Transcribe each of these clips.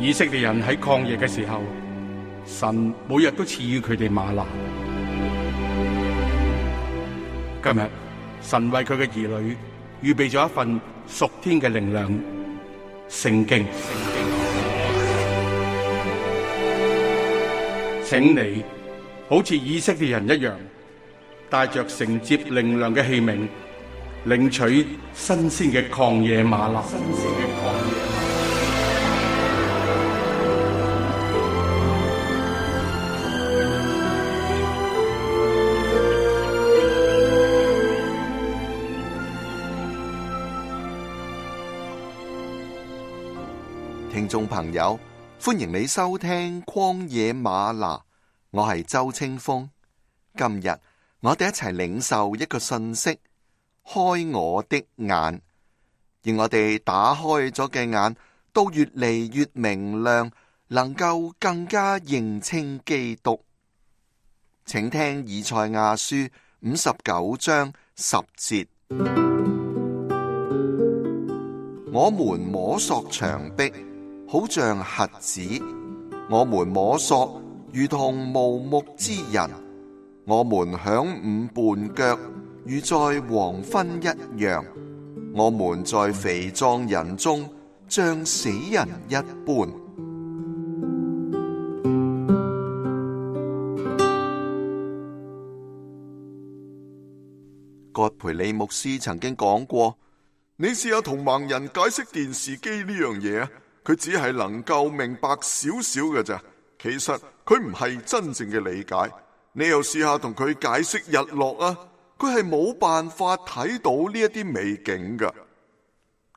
以色列人喺曠野嘅時候，神每日都賜予佢哋嗎哪。今日神為佢嘅兒女預備咗一份屬天嘅靈糧——聖經。請你好似以色列人一樣，帶着承接靈糧嘅器皿，領取新鮮嘅曠野嗎哪。聽眾朋友，歡迎你收聽曠野嗎哪，我係周清風。今日我哋一齊領受一個信息：開我的眼，而我哋打開咗嘅眼都越嚟越明亮，能夠更加認清基督。請聽以賽亞書59章10節：我們摸索牆壁，好像瞎子；我們摸索，如同無目之人；我們晌午絆腳，如在黃昏一樣；我們在肥壯人中，像死人一般。葛培理牧師曾經講過：你試下同盲人解釋電視機呢樣嘢啊！佢只係能夠明白少少嘅咋，其實佢唔係真正嘅理解。你又試下同佢解釋日落啊，佢係冇辦法睇到呢一啲美景噶。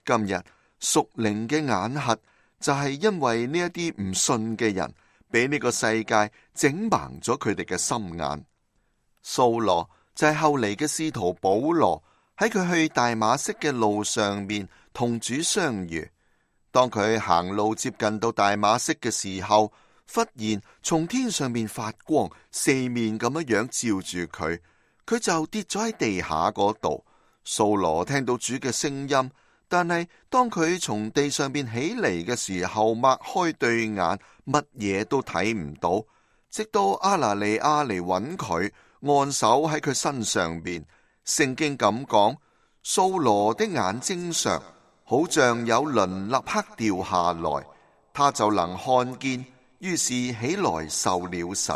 今日屬靈嘅眼瞎就係因為呢一啲唔信嘅人，俾呢個世界整盲咗佢哋嘅心眼。掃羅就係後嚟嘅使徒保羅，喺佢去大馬色嘅路上面同主相遇。當佢行路接近到大馬色嘅時候，忽然從天上面發光，四面咁樣照住佢，佢就跌咗喺地下嗰度。掃羅聽到主嘅聲音，但係當佢從地上邊起嚟嘅時候，擘開對眼，乜嘢都睇唔到。直到阿拿尼亞嚟揾佢，按手喺佢身上邊。聖經咁講，掃羅的眼睛上好像有鱗立刻掉下來，他就能看見，於是起來受了洗。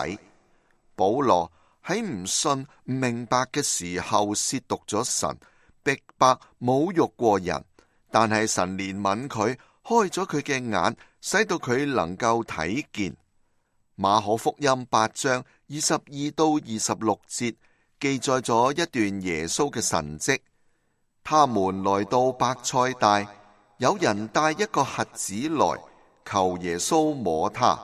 保羅喺唔信唔明白嘅時候褻瀆咗神，逼迫侮辱過人，但係神憐憫佢，開咗佢嘅眼，使到佢能夠睇見。馬可福音8章22到26節記載咗一段耶穌嘅神蹟。他們來到伯賽大，有人帶一個瞎子來，求耶穌摸他。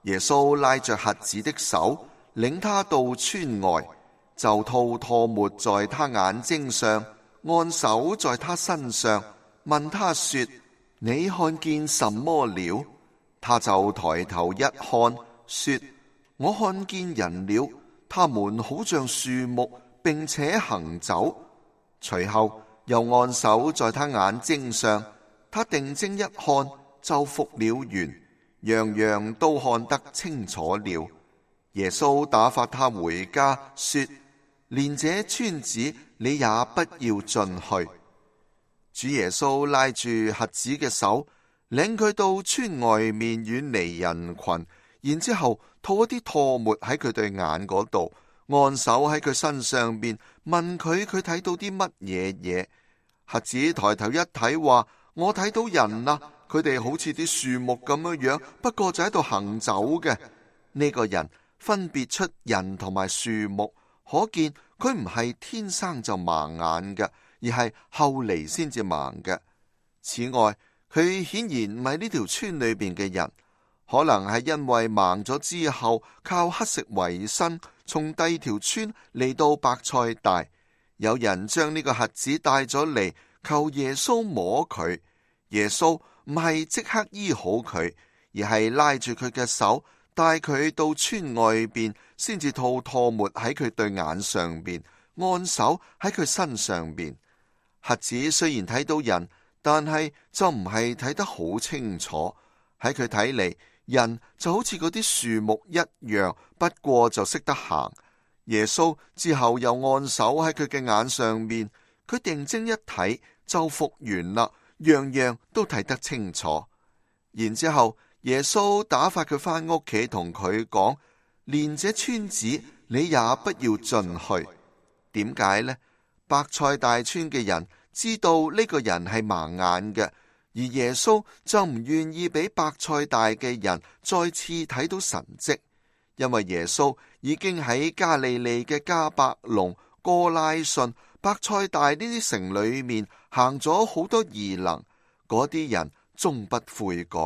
耶穌拉着瞎子的手，領他到村外，就吐唾沫在他眼睛上，按手在他身上，問他說：你看見什麼了？他就抬頭一看，說：我看見人了，他們好像樹木，並且行走。隨後又按手在他眼睛上，他定睛一看，就復了原，樣樣都看得清楚了。耶穌打發他回家，說：連這村子你也不要進去。主耶穌拉住瞎子嘅手，領佢到村外面遠離人群，然之後吐一啲唾沫喺佢對眼嗰度，按手喺佢身上邊，問佢睇到啲乜嘢。瞎子抬頭一睇，話：我睇到人啦，佢哋好似啲樹木咁樣，不過就喺度行走嘅。呢個人分別出人同埋樹木，可見佢唔係天生就盲眼嘅，而係後嚟先至盲嘅。此外，佢顯然唔係呢條村裏邊嘅人，可能係因為盲咗之後靠乞食為生，從第二條村嚟到伯賽大。有人將呢個瞎子帶咗嚟，求耶穌摸佢。耶穌唔係即刻醫好佢，而係拉住佢嘅手，帶佢到村外邊，先至吐唾沫喺佢對眼上邊，按手喺佢身上邊。瞎子雖然睇到人，但係就唔係睇得好清楚，喺佢睇嚟，人就好似嗰啲樹木一樣，不過就識得行。耶穌之後又按手喺佢嘅眼上面，佢定睛一睇就復原啦，樣樣都睇得清楚。然之後耶穌打發佢返屋企，同佢講，連這村子你也不要進去。點解呢？伯賽大村嘅人知道呢個人係盲眼嘅，而耶穌就唔願意俾伯賽大嘅人再次睇到神蹟，因為耶穌已經喺加利利嘅迦百農、哥拉汛、伯賽大呢啲城裏面行咗好多異能，嗰啲人終不悔改。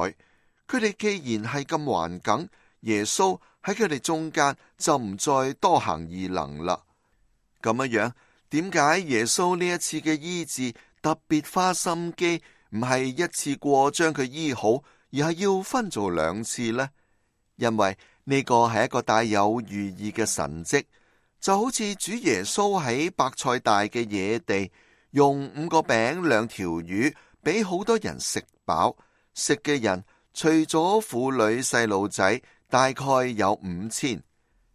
佢哋既然係咁頑梗，耶穌喺佢哋中間就唔再多行異能啦。咁樣，點解耶穌呢一次嘅醫治特別花心機，唔係一次過將佢醫好，而係要分做2次呢？因為呢個係一個帶有寓意嘅神蹟，就好似主耶穌喺伯賽大嘅野地，用5個餅2條魚，俾好多人食飽。食嘅人除咗婦女細路仔，大概有5000。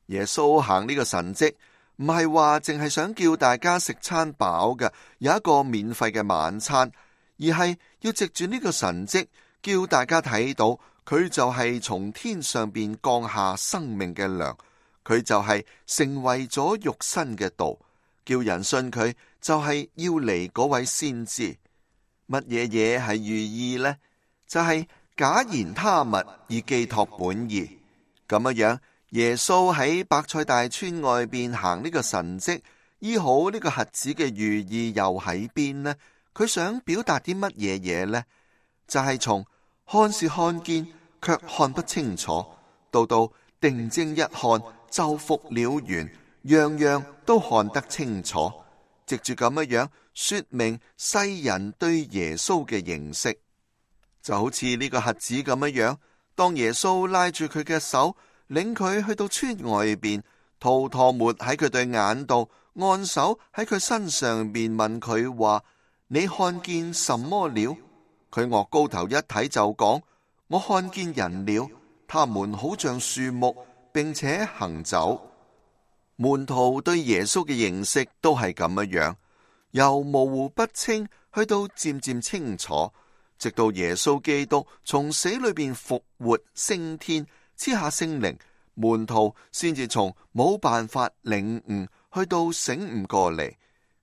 耶穌行呢個神蹟，唔係話淨係想叫大家食餐飽嘅，有一個免費嘅晚餐，而係要藉住呢個神蹟，叫大家睇到佢就係從天上邊降下生命嘅糧，佢就係成為咗肉身嘅道，叫人信佢就係要嚟嗰位先知。乜嘢嘢係寓意呢？就係假言他物而寄託本意。咁樣，耶穌喺伯賽大村外邊行呢個神蹟，醫好呢個瞎子嘅寓意又喺邊呢？佢想表達啲乜嘢嘢呢？就係從看是看見，卻看不清楚，到定睛一看就復了原，樣樣都看得清楚。藉住咁樣說明世人對耶穌嘅認識，就好似呢個瞎子咁樣。當耶穌拉住佢嘅手，領佢去到村外邊，吐唾沫喺佢對眼度，按手喺佢身上邊，問佢話：你看見什麼了？佢岳高頭一睇就講：我看見人了，他們好像樹木，並且行走。門徒對耶穌嘅認識都係咁樣，由模糊不清去到漸漸清楚，直到耶穌基督從死裏邊復活升天，賜下聖靈，門徒先至從冇辦法領悟去到醒悟過嚟，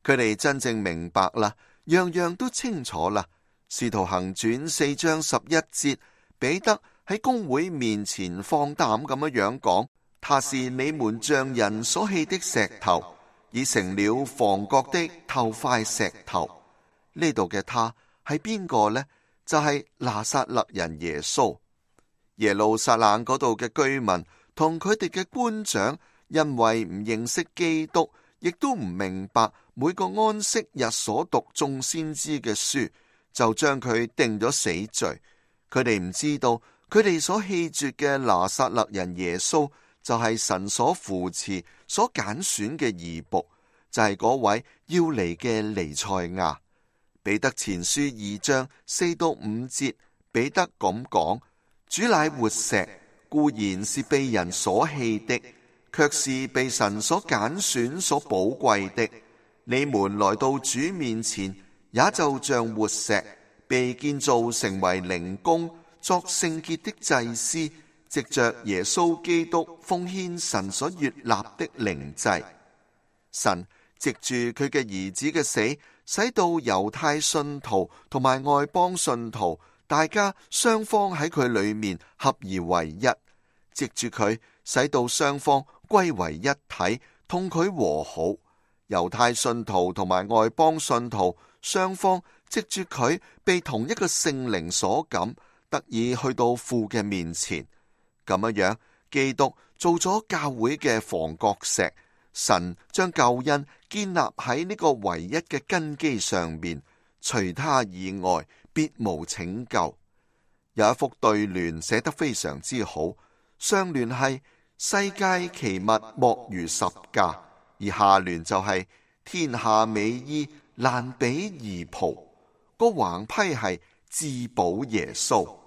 佢哋真正明白啦，樣樣都清楚啦。使徒行傳4章11節，彼得喺公會面前放膽咁樣講：他是你們匠人所棄的石頭，已成了房角的頭塊石頭。呢度嘅他係邊個呢？就係拿撒勒人耶穌。耶路撒冷嗰度嘅居民同佢哋嘅官長，因為唔認識基督，亦都唔明白每個安息日所讀眾先知嘅書，就將佢定咗死罪。佢哋唔知道，佢哋所棄絕嘅拿撒勒人耶穌，就係神所扶持、所揀選嘅義僕，就係嗰位要嚟嘅彌賽亞。彼得前書2章4到5節，彼得咁講：主乃活石，固然是被人所棄的，卻是被神所揀選、所寶貴的。你們來到主面前，也就像活石，被建造成為靈宮，作聖潔的祭司，藉着耶穌基督奉獻神所悅納的靈祭。神藉住佢嘅兒子嘅死，使到猶太信徒同埋外邦信徒，大家雙方喺佢裏面合而為一。藉住佢，使到雙方歸為一體，同佢和好。猶太信徒同埋外邦信徒雙方藉住佢，被同一個聖靈所感，得以去到父嘅面前。咁樣，基督做咗教會嘅房角石，神將救恩建立喺呢個唯一嘅根基上面，除他以外別無拯救。有一幅對聯寫得非常之好，上聯係世界奇物莫如十架，而下聯就係天下美衣難比義袍，個橫批係至寶耶穌。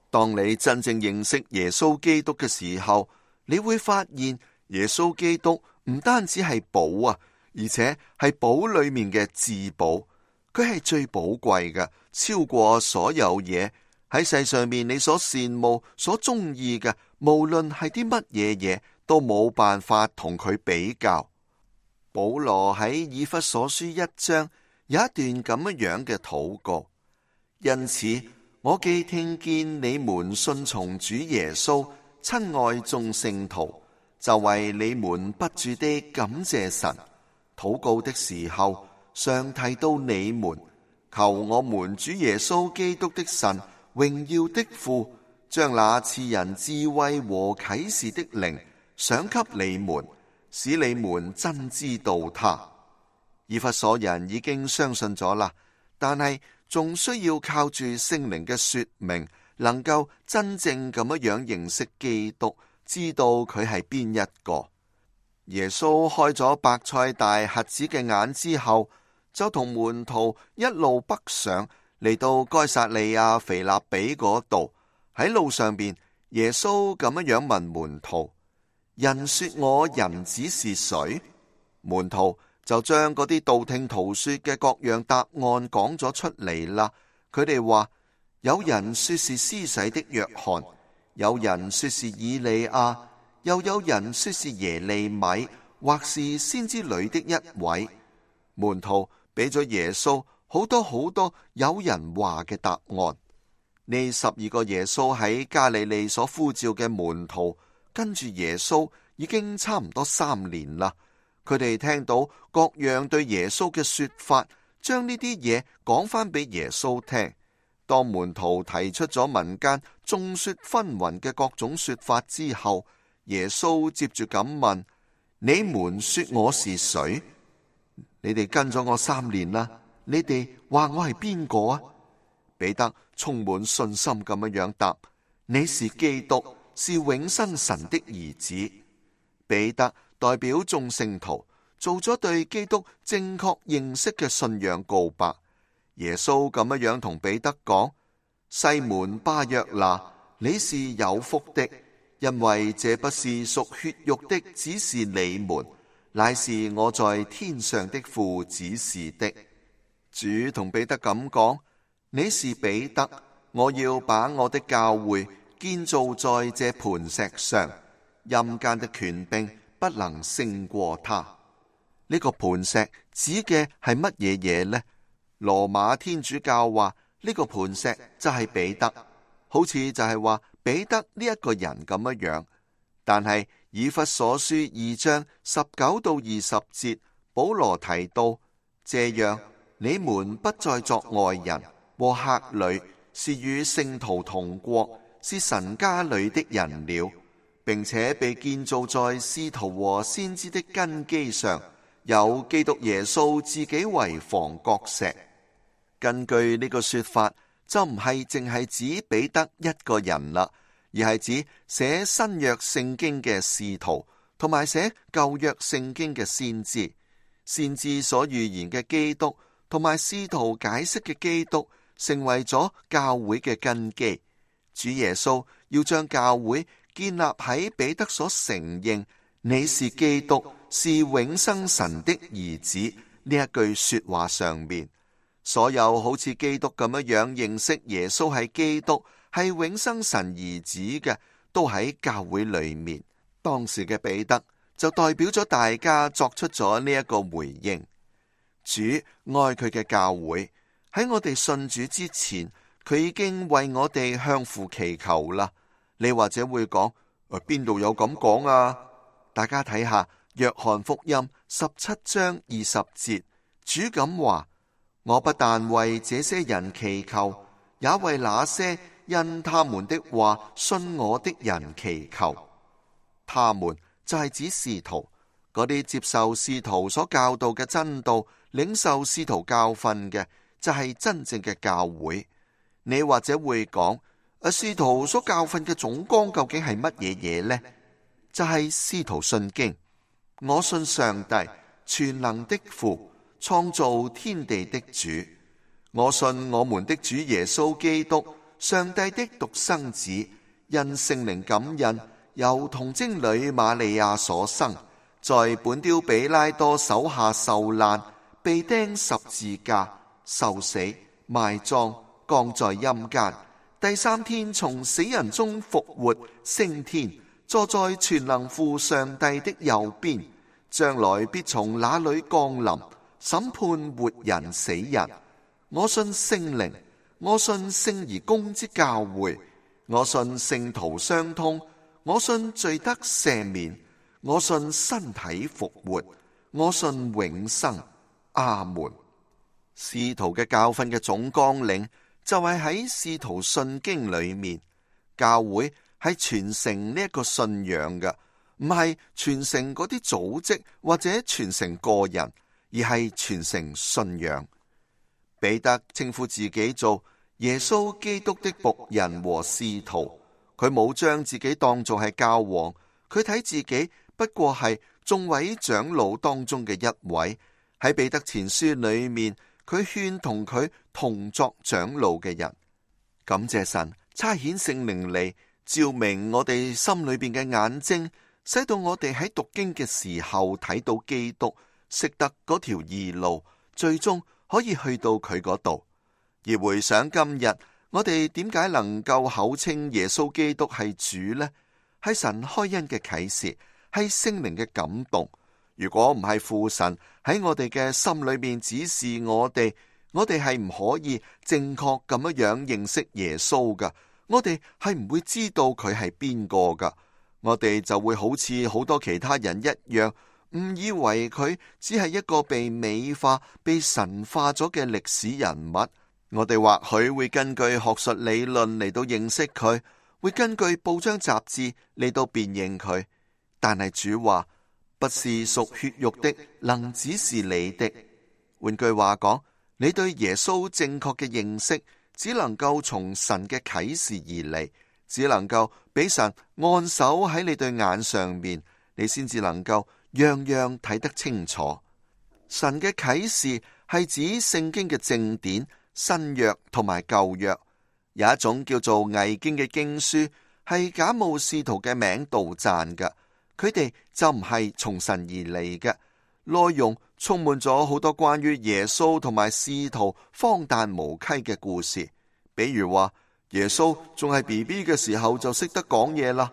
當你真正認識耶穌基督嘅時候，你會發現耶穌基督唔單止係寶啊，而且係寶裏面嘅至寶。佢係最寶貴嘅，超過所有嘢。喺世上面你所羨慕、所中意嘅，無論係啲乜嘢嘢，都冇辦法同佢比較。保羅喺以弗所書1章有一段咁樣嘅禱告，因此我既聽見你們信從主耶穌，親愛眾聖徒，就為你們不住地感謝神。禱告的時候，常提到你們，求我們主耶穌基督的神，榮耀的父，將那賜人智慧和啟示的靈賞給你們，使你們真知道他。以弗所人已經相信咗啦，但係仲需要靠住聖靈嘅說明，能夠真正咁樣認識基督，知道佢係邊一個。耶穌開咗伯賽大瞎子嘅眼之後，就同門徒一路北上，嚟到該撒利亞腓立比嗰度。喺路上邊，耶穌咁樣問門徒：人說我人子是誰？門徒就將嗰啲道聽途說嘅各樣答案講咗出嚟啦。佢哋話：有人說是施洗的約翰，有人說是以利亞，又有人說是耶利米，或是先知裏的一位。門徒俾咗耶穌好多有人話嘅答案。呢12個耶穌喺加利利所呼召嘅門徒，跟住耶穌已經差唔多3年啦。佢哋聽到各樣對耶穌嘅說法，將呢啲嘢講翻俾耶穌聽。當門徒提出咗民間眾說紛紜嘅各種說法之後，耶穌接住咁問：你們說我是誰？你哋跟咗我3年啦，你哋話我係邊個啊？彼得充滿信心咁樣答：你是基督，是永生神的兒子。彼得代表眾聖徒做咗對基督正確認識嘅信仰告白。耶穌咁樣同彼得講：西門巴約拿，你是有福的，因為這不是屬血肉的指示你們，乃是我在天上的父指示的。主同彼得咁講：你是彼得，我要把我的教會建造在這磐石上，陰間的權柄不能勝過他。呢個磐石指嘅係乜嘢嘢呢？羅馬天主教話呢個磐石就係彼得，好似就係話彼得呢一個人咁樣。但係以弗所書2章19到20節，保羅提到：這樣你們不再作外人和客旅，是與聖徒同國，是神家裏的人了，並且被建造在使徒和先知的根基上，有基督耶穌自己為房角石。根據呢個說法，就唔係淨係指彼得一個人啦，而係指寫新約聖經嘅使徒，同埋寫舊約聖經嘅先知。先知所預言嘅基督，同埋使徒解釋嘅基督，成為咗教會嘅根基。主耶穌要將教會建立喺彼得所承認你是基督，是永生神的兒子呢一句說話上面。所有好似基督咁樣認識耶穌係基督，係永生神兒子嘅，都喺教會裏面。當時嘅彼得就代表咗大家作出咗呢一個回應。主愛佢嘅教會，喺我哋信主之前，佢已經為我哋向父祈求啦。你或者會講：邊度有咁講啊？大家睇下約翰福音17章20節，主咁話：我不但為這些人祈求，也為那些因他們的話信我的人祈求。他們就係指使徒，嗰啲接受使徒所教導嘅真道，領受使徒教訓嘅，就係真正嘅教會。你或者會講：使徒所教訓嘅總綱究竟係乜嘢嘢呢？就係使徒信經。我信上帝，全能的父，創造天地的主。我信我們的主耶穌基督，上帝的獨生子，因聖靈感孕，由童貞女瑪利亞所生，在本丟彼拉多手下受難，被釘十字架，受死，埋葬，降在陰間，第三天從死人中復活，升天，坐在全能父上帝的右邊，將來必從那裏降臨，審判活人死人。我信聖靈，我信聖而公之教會，我信聖徒相通，我信罪得赦免，我信身體復活，我信永生。阿門。使徒嘅教訓嘅總綱領就係喺使徒信經裏面，教會係傳承呢一個信仰嘅，唔係傳承嗰啲組織或者傳承個人，而係傳承信仰。彼得稱呼自己做耶穌基督的僕人和使徒，佢冇將自己當作係教皇，佢睇自己不過係眾位長老當中嘅一位。喺彼得前書裏面，佢勸同佢同作長老嘅人。感謝神差遣聖靈嚟照明我哋心裏邊嘅眼睛，使到我哋喺讀經嘅時候睇到基督，識得嗰條義路，最終可以去到佢嗰度。而回想今日，我哋點解能夠口稱耶穌基督係主呢？係神開恩嘅啟示，係聖靈嘅感動。如果唔係父神喺我哋嘅心裏面指示我哋係唔可以正確咁樣認識耶穌噶，我哋係唔會知道佢係邊個噶，我哋就會好似好多其他人一樣，誤以為佢只係一個被美化、被神化咗嘅歷史人物。我哋或許會根據學術理論嚟到認識佢，會根據報章雜誌嚟到辨認佢，但係主話，不是屬血肉的能指示你的。換句話講，你對耶穌正確嘅認識只能夠從神嘅啟示而嚟，只能夠俾神按手喺你對眼上面，你先至能夠樣樣睇得清楚。神嘅啟示係指聖經嘅正典、新約同埋舊約。有一種叫做偽經嘅經書，係假冒使徒嘅名杜撰嘅，佢哋就唔係從神而嚟嘅，內容充滿咗好多關於耶穌同埋使徒荒誕無稽嘅故事。比如話耶穌仲係 BB 嘅時候就識得講嘢啦，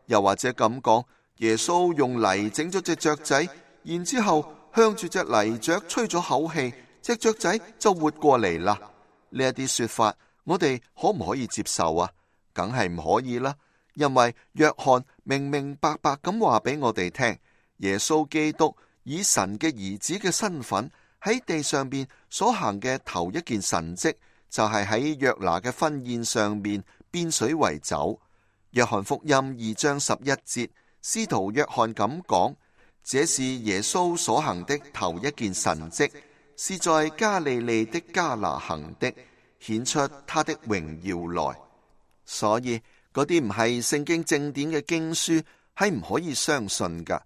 又或者咁講，耶穌用泥整咗隻雀仔，然之後向住隻泥雀吹咗口氣，隻雀仔就活過嚟啦。呢一啲說法，我哋可唔可以接受啊？梗係唔可以啦，因為約翰明明白白咁話俾我哋聽，耶穌基督以神嘅兒子嘅身份喺地上邊所行嘅頭一件神蹟，就係喺約拿嘅婚宴上面變水為酒。約翰福音2章11節，使徒約翰咁講，這是耶穌所行的頭一件神蹟，是在加利利的加拿行的，顯出他的榮耀來。所以嗰啲唔係聖經正典嘅經書係唔可以相信噶。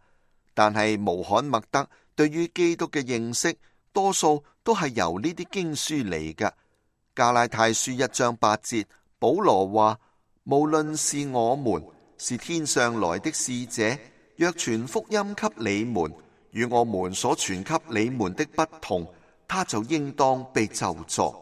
但係穆罕默德對於基督嘅認識，多數都係由呢啲經書嚟噶。加拉太書1章8節，保羅話，無論是我們，是天上來的使者，若傳福音給你們，與我們所傳給你們的不同，他就應當被咒詛。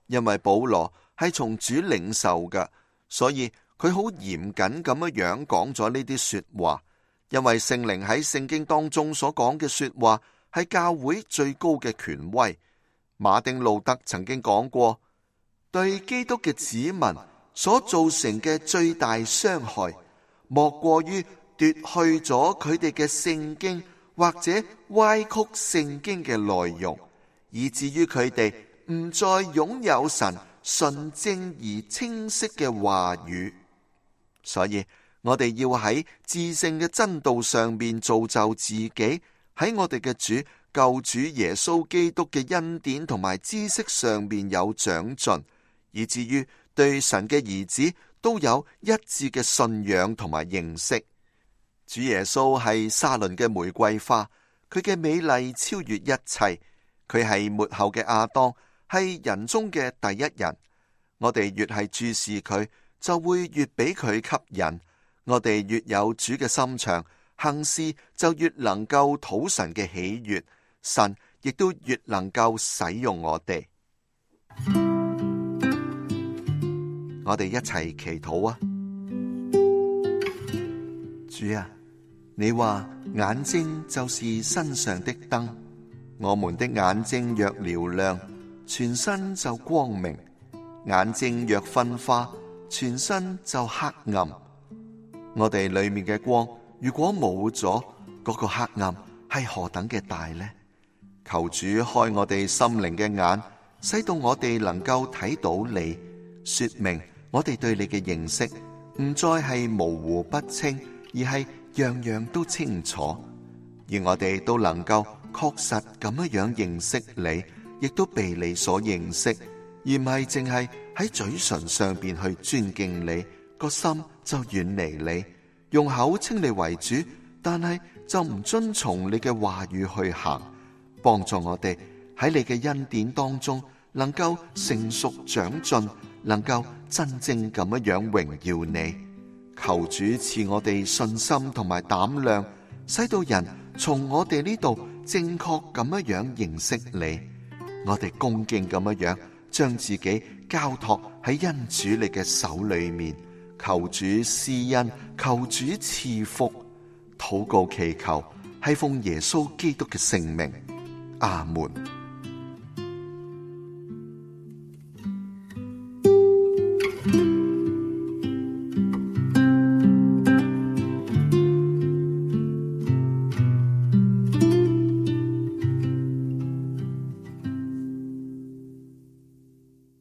因為保羅係從主領受嘅，所以佢好嚴謹咁樣講咗呢啲說話。因為聖靈喺聖經當中所講嘅說話係教會最高嘅權威。馬丁路德曾經講過，對基督嘅子民所造成嘅最大傷害，莫過於奪去咗佢哋嘅聖經或者歪曲聖經嘅內容，以至於佢哋唔再擁有神純正而清晰嘅話語。所以我哋要喺至聖嘅真道上面造就自己，喺我哋嘅主救主耶穌基督嘅恩典同埋知識上面有長進，以至於對神嘅兒子都有一致嘅信仰同埋認識。主耶穌係沙崙嘅玫瑰花，佢嘅美麗超越一切，佢係末後嘅亞當，係人中嘅第一人。我哋越係注視佢，就會越俾佢吸引。我哋越有主嘅心腸，行事就越能夠討神嘅喜悅，神亦都越能夠使用我哋。我哋一齊祈禱啊！主啊，你話眼睛就是身上的燈，我們的眼睛若嘹亮，全身就光明；眼睛若昏花，全身就黑暗。我哋裏面嘅光如果冇咗，嗰個黑暗係何等嘅大呢？求主開我哋心靈嘅眼，使到我哋能夠睇到你，說明我哋對你嘅認識唔再係模糊不清，而係樣樣都清楚。而我哋都能夠確實咁樣認識你，亦都被你所認識，而唔係淨係喺嘴唇上邊去尊敬你，個心就遠離你，用口稱你為主，但係就唔遵從你嘅話語去行。幫助我哋喺你嘅恩典當中，能夠成熟長進，能夠真正咁樣榮耀你。求主賜我哋信心同埋膽量，使到人從我哋呢度正確咁樣認識你。我哋恭敬咁樣將自己交託喺恩主你嘅手裏面，求主施恩，求主賜福。禱告祈求係奉耶穌基督嘅聖名，阿門。